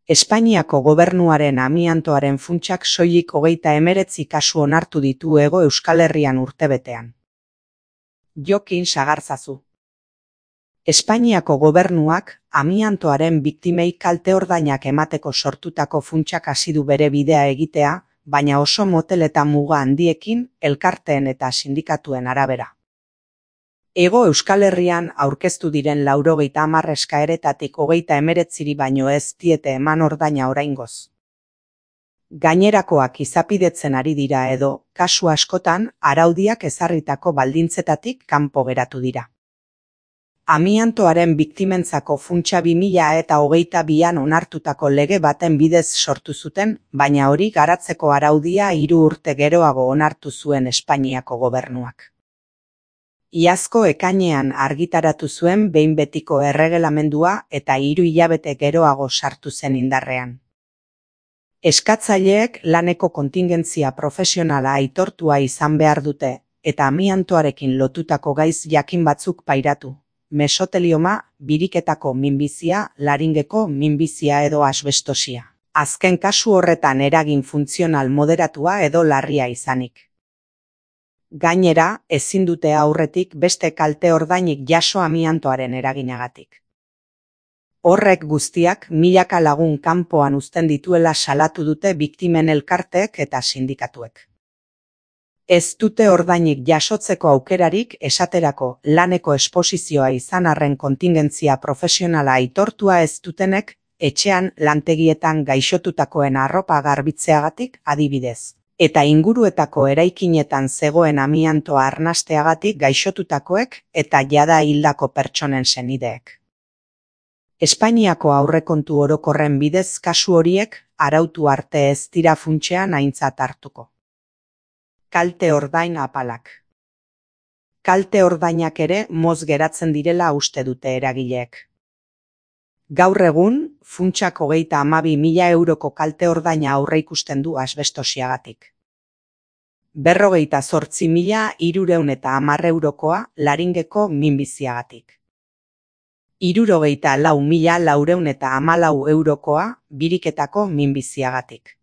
Espainiako gobernuaren amiantoaren funtsak soilik 39 kasu onartu ditu Hego Euskal Herrian urtebetean. Jokin Sagarzazu. Espainiako gobernuak amiantoaren biktimei kalte-ordainak emateko sortutako funtsak hasi du bere bidea egitea, baina oso motel eta muga handiekin, elkarteen eta sindikatuen arabera. Hego Euskal Herrian aurkeztu diren 90 eskaeretatik 39 baino ez diete eman ordaina oraingoz. Gainerakoak izapidetzen ari dira edo, kasu askotan, araudiak ezarritako baldintzetatik kanpo geratu dira. Amiantoaren biktimentzako funtsa 2022an onartutako lege baten bidez sortu zuten, baina hori garatzeko araudia 3 urte geroago onartu zuen Espainiako gobernuak. Iazko ekainean argitaratu zuen behin betiko erregelamendua eta 3 hilabete geroago sartu zen indarrean. Eskatzaileek laneko kontingentzia profesionala aitortua izan behar dute, eta amiantoarekin lotutako gaiz jakin batzuk pairatu. Mesotelioma, biriketako minbizia, laringeko minbizia edo asbestosia. Azken kasu horretan eragin funtzional moderatua edo larria izanik. Gainera, ezin dute aurretik beste kalte ordainik jaso amiantoaren eraginagatik. Horrek guztiak milaka lagun kanpoan uzten dituela salatu dute biktimen elkarteek eta sindikatuek. Ez dute ordainik jasotzeko aukerarik esaterako laneko esposizioa izan arren kontingentzia profesionala aitortua ez dutenek, etxean lantegietan gaixotutakoen arropa garbitzeagatik adibidez. Eta inguruetako eraikinetan zegoen amiantoa arnasteagatik gaixotutakoek eta jada hildako pertsonen senideek. Espainiako aurrekontu orokorren bidez kasu horiek arautu arte ez dira funtsean aintzat hartuko. Kalte ordain apalak. Kalte ordainak ere moz geratzen direla uste dute eragileek. Gaur egun, funtsak 32.000 euroko kalte ordaina aurreikusten du asbestosiagatik. 58.310 eurokoa laringeko minbiziagatik. 64.414 eurokoa biriketako minbiziagatik.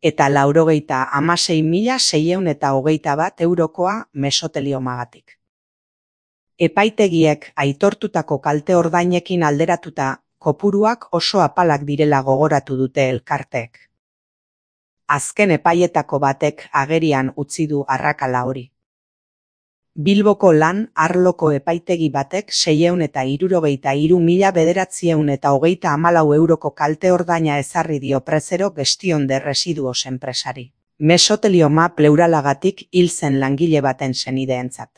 Eta 96.621 eurokoa mesoteliomagatik. Epaitegiek aitortutako kalte ordainekin alderatuta, kopuruak oso apalak direla gogoratu dute elkarteek. Azken epaietako batek agerian utzi du arrakala hori. Bilboko lan arloko epaitegi batek 663.934 euroko kalte ordaina ezarri dio Presero Gestion de Residuos enpresari. Mesotelioma pleuralagatik hil zen langile baten senideentzat.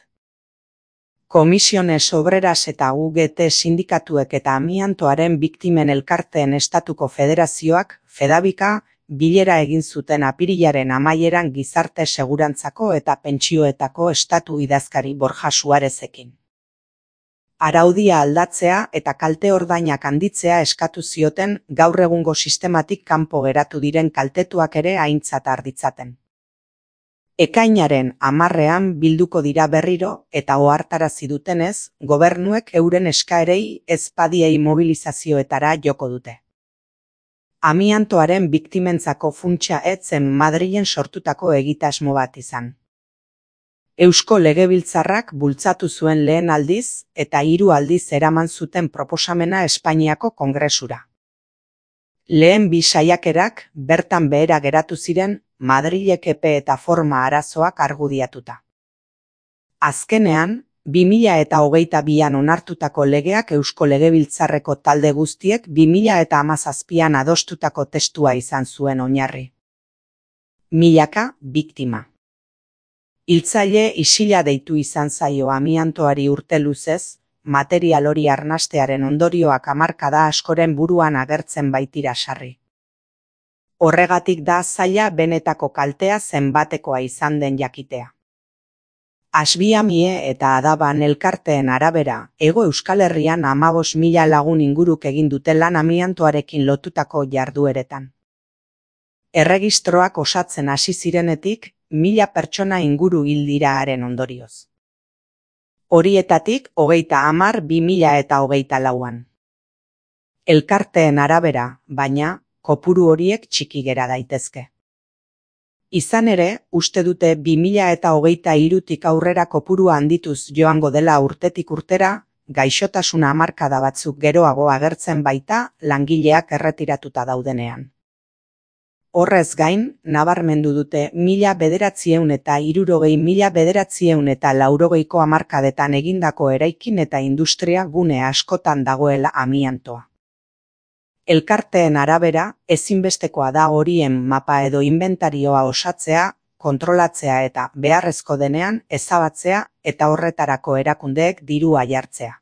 Comisiones Obreras eta UGT sindikatuek eta amiantoaren biktimen elkarteen estatuko federazioak, Fedabika, bilera egin zuten apirilaren amaieran gizarte segurantzako eta pentsioetako estatu idazkari Borja Suarezekin. Araudia aldatzea eta kalte ordainak handitzea eskatu zioten gaur egungo sistematik kanpo geratu diren kaltetuak ere aintzat har ditzaten. Ekainaren 10ean bilduko dira berriro eta ohartarazi dutenez, gobernuek euren eskaerei ezpadiei mobilizazioetara joko dute. Amiantoaren biktimentzako funtsa ez zen Madrilen sortutako egitasmo bat izan. Eusko Legebiltzarrak bultzatu zuen lehen aldiz eta 3 aldiz eraman zuten proposamena Espainiako Kongresura. Lehen 2 saiakerak bertan behera geratu ziren Madrilek epe eta forma arazoak argudiatuta. Azkenean, 2022an onartutako legeak Eusko Legebiltzarreko talde guztiek 2017an adostutako testua izan zuen oinarri. Milaka biktima. Hiltzaile isila deitu izan zaio amiantoari urte luzez, material hori arnastearen ondorioak hamarkada askoren buruan agertzen baitira sarri. Horregatik da zaila benetako kaltea zenbatekoa izan den jakitea. Asbiamie eta Adaban elkarteen arabera, Hego Euskal Herrian 15.000 lagun inguruk egin dute lan amiantoarekin lotutako jardueretan. Erregistroak osatzen hasi zirenetik, 1000 pertsona inguru hil dira haren ondorioz. Horietatik 30 2024an. Elkarteen arabera, baina, kopuru horiek txiki gera daitezke. Izan ere, uste dute 2023tik aurrera kopurua handituz joango dela urtetik urtera, gaixotasuna hamarkada batzuk geroago agertzen baita langileak erretiratuta daudenean. Horrez gain, nabarmendu dute 1960–1980ko hamarkadetan egindako eraikin eta industria gune askotan dagoela amiantoa. Elkarteen arabera, ezinbestekoa da horien mapa edo inbentarioa osatzea, kontrolatzea eta beharrezko denean ezabatzea eta horretarako erakundeek dirua jartzea.